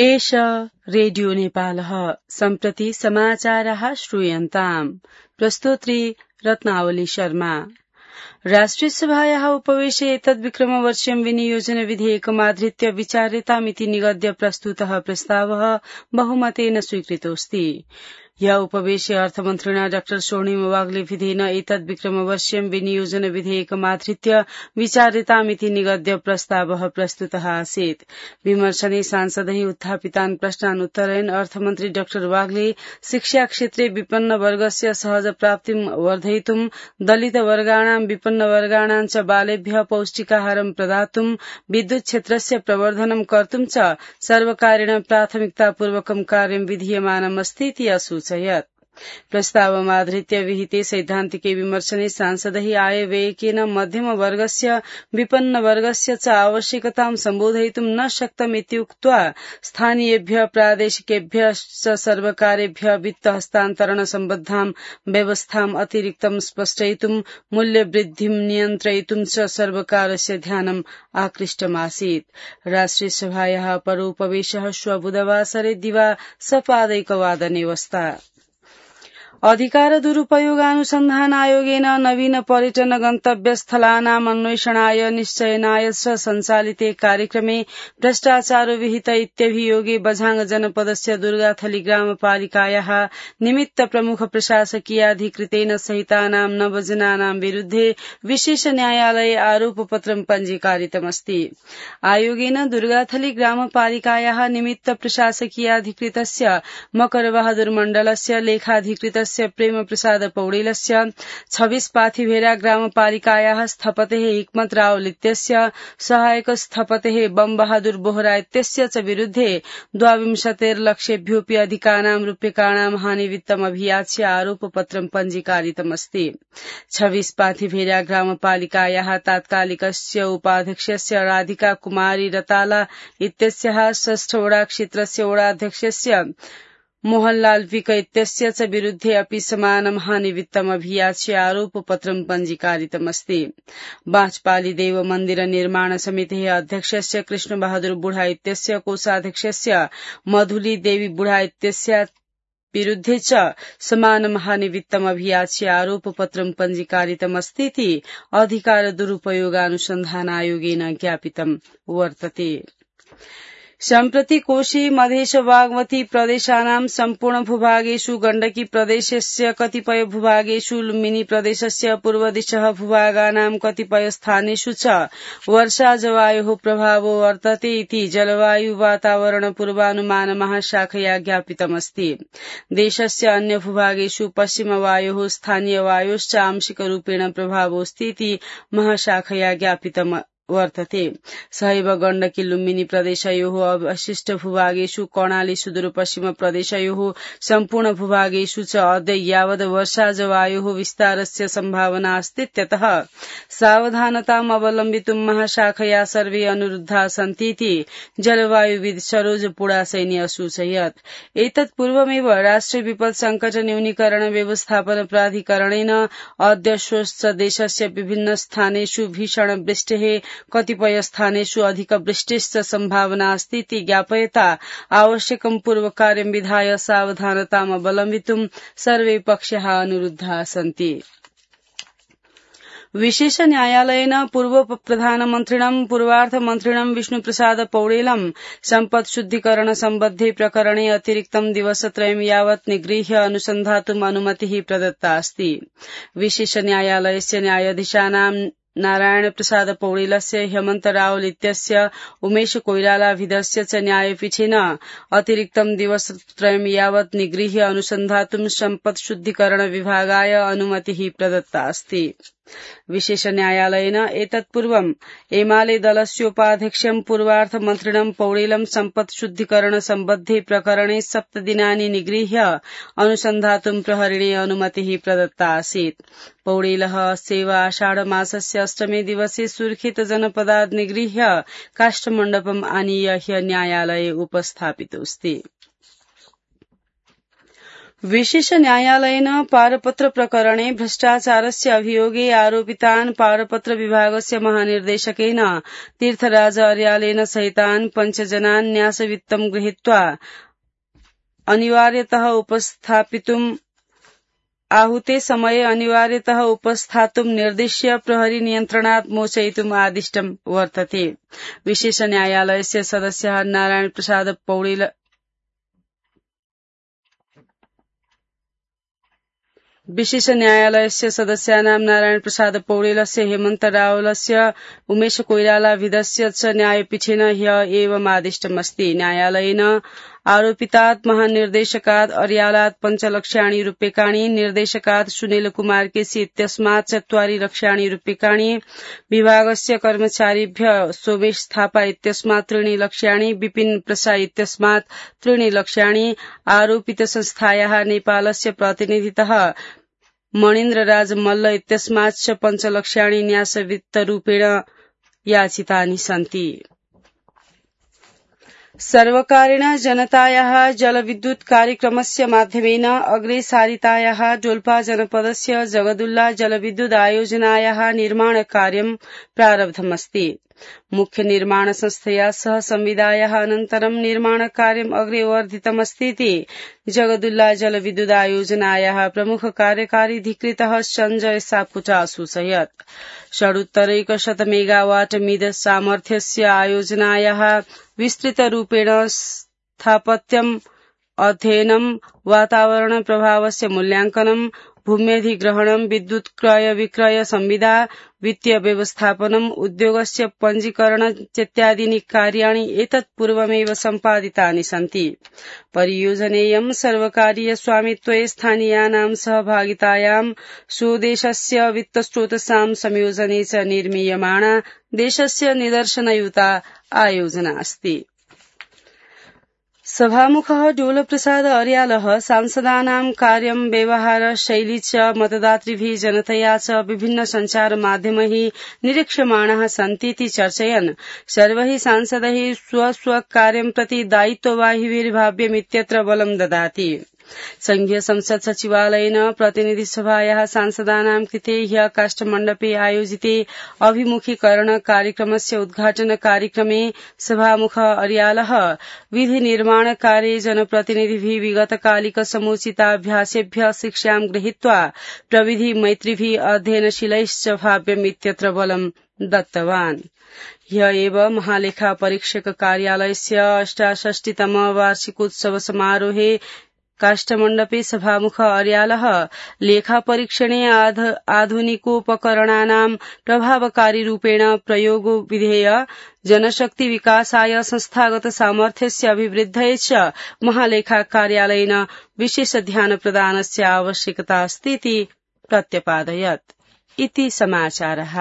एष रेडियो नेपालः सम्प्रति समाचारः श्रूयन्ताम्। प्रस्तोत्री रत्नावली शर्मा। राष्ट्रिय सभायाः उपवेशे एतद्विक्रमवर्ष्यं विनियोजन विधेयकमाधृत्य विचार्यतामिति निगद्य प्रस्तुतः प्रस्तावः बहुमतेन स्वीकृतोऽस्ति। ह्य उपवेशे अर्थमन्त्रिणा डॉ स्वर्णिम वाग्ले विधेन एतद्विक्रमवर्ष्यं विनियोजन विधेयकमाधृत्य विचार्यतामिति निगद्य प्रस्तावः प्रस्तुतः आसीत्। विमर्शने सांसदैः उत्थापितान् प्रश्नान् उत्तरयन् अर्थमन्त्री डॉ वाग्ले शिक्षा क्षेत्रे विपन्न वर्गस्य सहज प्राप्तिं वर्धयितुं, दलित वर्गाणां विपन्न वर्गाणां च बालेभ्यः पौष्टिकाहारं प्रदातुं, विद्युत क्षेत्रस्य प्रवर्धनं कर्तुं च सर्वकारेण प्राथमिकतापूर्वकं कार्यं विधीयमानमस्ति इति असूचयत्। प्रस्तावमाधृत्य विहिते सैद्धान्तिके विमर्शने सांसदैः आयव्ययकेन मध्यम वर्गस्य विपन्न वर्गस्य च आवश्यकतां सम्बोधयितुं न शक्तमित्युक्त्वा स्थानीयेभ्यः प्रादेशिकेभ्यः च सर्वकारेभ्यः वित्त हस्तान्तरण सम्बद्धां व्यवस्थाम् अतिरिक्तं स्पष्टयितुं, मूल्यवृद्धिं नियन्त्रयितुं च सर्वकारस्य ध्यानम् आकृष्टमासीत्। राष्ट्रिय सभायाः परोपवेशः श्व बुधवासरे दिवा सपादैकवादने वस्ता। अधिकार दुरुपयोगानुसन्धान आयोगेन नवीन पर्यटन गन्तव्य स्थलानाम् अन्वेषणाय निश्चयनाय च सञ्चालिते कार्यक्रमे भ्रष्टाचारो विहित इत्यभियोगे बझाङ जनपदस्य दुर्गाथली ग्रामपालिकायाः निमित्त प्रमुख प्रशासकीयाधिकृतेन सहितानां 9 जनानां विरुद्धे विशेष न्यायालये आरोपपत्रं पञ्जीकारितमस्ति। आयोगेन दुर्गाथली ग्रामपालिकायाः निमित्त प्रशासकीयाधिकृतस्य मकरबहादुर मण्डलस्य, लेखाधिकृतस्य प्रेम प्रसाद पौडेलस्य, 26 पाथिभेरा ग्रामपालिकायाः स्थपतेः हिक्मत रावल इत्यस्य, सहायक स्थपतेः बम बहादुर बोहरा इत्यस्य च विरुद्धे 22 लक्षेभ्योऽपि अधिकानां रूप्यकाणां हानिवित्तम् अभियाच्य आरोपपत्रं पञ्जीकारितमस्ति। 26 पाथिभेरा ग्रामपालिकायाः तात्कालिकस्य उपाध्यक्षस्य राधिका कुमारी रताला इत्यस्याः, 6 वडा क्षेत्रस्य वडाध्यक्षस्य मोहनलाल विक इत्यस्य च विरुद्धे अपि समानं हानिवित्तम् अभियाच्य आरोपपत्रं पञ्जीकारितमस्ति। बाँचपाली देव मन्दिर निर्माण समितेः अध्यक्षस्य कृष्णबहादुर बुढा इत्यस्य, कोषाध्यक्षस्य मधुली देवी बुढा इत्यस्य विरुद्धे च समानं हानिवित्तम् अभियाच्य आरोपपत्रं पञ्जीकारितमस्ति इति अधिकार दुरुपयोगानुसन्धान आयोगेन ज्ञापितं वर्तते। सम्प्रति कोशी मधेश बागमती प्रदेशानां सम्पूर्ण भूभागेषु, गण्डकी प्रदेशस्य कतिपय भूभागेषु, लुम्बिनी प्रदेशस्य पूर्वदिशः भूभागानां कतिपय स्थानेषु च वर्षा जवायोः प्रभावो वर्तते इति जलवायु वातावरण पूर्वानुमान महाशाखया ज्ञापितमस्ति। देशस्य अन्य भूभागेषु पश्चिमवायोः स्थानीयवायोश्च आंशिकरूपेण प्रभावोऽस्ति इति महाशाखया ज्ञापितम् वर्तते। सहैव गण्डकी लुम्बिनी प्रदेशयोः अवशिष्ट भूभागेषु, कर्णाली सुदूरपश्चिम प्रदेशयोः सम्पूर्ण भूभागेषु च अद्य यावत् वर्षा जवायोः विस्तारस्य सम्भावना अस्तीत्यतः सावधानताम् अवलम्बितुं महाशाखया सर्वे अनुरुद्धा सन्तीति जलवायुविद सरोज पुडासैनी असूचयत्। एतत् पूर्वमेव राष्ट्रिय विपद संकट न्यूनीकरण व्यवस्थापन प्राधिकरणेन अद्य श्वश्च देशस्य विभिन्न स्थानेषु भीषण वृष्टेः, कतिपय स्थानेषु अधिक वृष्टिश्च सम्भावना अस्ति इति ज्ञापयता आवश्यकं पूर्वकार्यं विधाय सावधानताम् अवलम्बितुं सर्वे पक्षाः अनुरुद्धाः सन्ति। विशेष न्यायालयेन पूर्व प्रधानमन्त्रिणं पूर्वार्थमन्त्रिणं विष्णुप्रसाद पौडेलं सम्पत् शुद्धिकरण सम्बद्धे प्रकरणे अतिरिक्तं दिवसत्रयं यावत् निगृह्य अनुसन्धातुम् अनुमतिः प्रदत्ता अस्ति। विशेष न्यायालयस्य न्यायाधीशानां नारायण प्रसाद पौडेलस्य, हेमन्त रावल इत्यस्य, उमेश कोइरालाभिधस्य च न्यायपीठेन अतिरिक्तं दिवसत्रयं यावत् निगृह्य अनुसन्धातुं सम्पत् शुद्धिकरण विभागाय अनुमतिः प्रदत्ता अस्ति। विशेष न्यायालयेन एतत्पूर्वम् एमाले दलस्योपाध्यक्षं पूर्वार्थमन्त्रिणं पौडेलं सम्पत् शुद्धिकरण सम्बद्धे प्रकरणे 7 दिनानि निगृह्य अनुसन्धातुं प्रहरिणे अनुमतिः प्रदत्ता आसीत्। पौडेलः अस्य आषाढमासस्य 8मे दिवसे सुर्खेत जनपदात् निगृह्य काष्ठमण्डपम् आनीय ह्य न्यायालये उपस्थापितोऽस्ति। विशेष न्यायालयेन पारपत्र प्रकरणे भ्रष्टाचारस्य अभियोगे आरोपितान् पारपत्र विभागस्य महानिर्देशकेन तीर्थराज अर्यालेन सहितान् 5 जनान् न्यासवित्तं गृहीत्वा अनिवार्यतः उपस्थापितुम् आहूते समये अनिवार्यतः उपस्थातुं निर्दिश्य प्रहरी नियन्त्रणात् मोचयितुम् आदिष्टं वर्तते। विशेष न्यायालयस्य सदस्यः नारायण प्रसाद पौडेल विशेष न्यायालयस्य सदस्यानां नारायण प्रसाद पौडेलस्य हेमन्त रावलस्य उमेश कोइरालाविधस्य च न्यायपीठेन ह्यः एवमादिष्टमस्ति। न्यायालयेन आरोपितात् महानिर्देशकात् अर्यालात् 5 लक्षाणि रूप्यकाणि, निर्देशकात् सुनील कुमार केसी इत्यस्मात् 4 लक्षाणि रूप्यकाणि, विभागस्य कर्मचारिभ्यः सोमेश थापा इत्यस्मात् 3 लक्षाणि, विपिन प्रसाद इत्यस्मात् 3 लक्षाणि, आरोपित संस्थायाः नेपालस्य प्रतिनिधितः मणिन्द्र राज मल्ल इत्यस्मात् 5 लक्षाणि न्यासवित्तरूपेण याचितानि सन्ति। सर्वकारेण जनतायाः जलविद्युत कार्यक्रमस्य माध्यमेन अग्रे सारितायाः डोल्पा जनपदस्य जगदुल्ला जलविद्युत आयोजनायाः निर्माण कार्यं प्रारब्धमस्ति। मुख्य निर्माण संस्थया सह संविदायाः अनन्तरं निर्माण कार्यम् अग्रे वर्धितमस्तीति जगदुल्ला जलविद्युत आयोजनायाः प्रमुख कार्यकारी अधिकृतः संजय सापुटा सूचयत्। 100 मेगावाट मिद सामर्थ्यस्य आयोजनायाः विस्तृतरूपेण स्थापत्यम् अध्ययनं, वातावरण प्रभावस्य मूल्याङ्कनं, भूम्यधिग्रहणं, विद्युत क्रय विक्रय संविदा, वित्तीय व्यवस्थापनम्, उद्योगस्य पञ्जीकरण इत्यादीनि कार्याणि एतत् पूर्वमेव सम्पादितानि सन्ति। परियोजनेयं सर्वकारीय स्वामित्वे स्थानीयानां सहभागितायां स्वदेशस्य वित्तस्रोतसां संयोजने च निर्मीयमाणा देशस्य निदर्शनयुता आयोजना अस्ति। सभामुखः डोलप्रसाद अर्यालः सांसदानां कार्यं व्यवहार शैली च मतदातृभिः जनतया च विभिन्न सञ्चार माध्यमैः निरीक्ष्यमाणाः सन्तीति चर्चयन् सर्वैः सांसदैः स्वस्वकार्यं प्रति दायित्ववाहिभिर्भाव्यमित्यत्र बलं ददाति। संघीय संसद सचिवालयेन प्रतिनिधिसभायाः सांसदानां कृते ह्यः काष्ठमण्डपे आयोजिते अभिमुखीकरण कार्यक्रमस्य उद्घाटन कार्यक्रमे सभामुखः अर्यालः विधि निर्माण कार्ये जनप्रतिनिधिभिः विगतकालिक समुचिताभ्यासेभ्यः शिक्षां गृहीत्वा प्रविधि मैत्रिभिः अध्ययनशीलैश्च भाव्यमित्यत्र बलं दत्तवान्। ह्यः एव महालेखा परीक्षक कार्यालयस्य 68तम वार्षिकोत्सव समारोहे काष्ठमण्डपे सभामुख अर्यालः लेखापरीक्षणे आधुनिकोपकरणानां प्रभावकारी रूपेण प्रयोगो विधेय जनशक्ति विकासाय संस्थागत सामर्थ्यस्य अभिवृद्धये च महालेखा कार्यालयेन विशेष ध्यान प्रदानस्य आवश्यकता अस्ति इति प्रत्यपादयत्। इति समाचारः।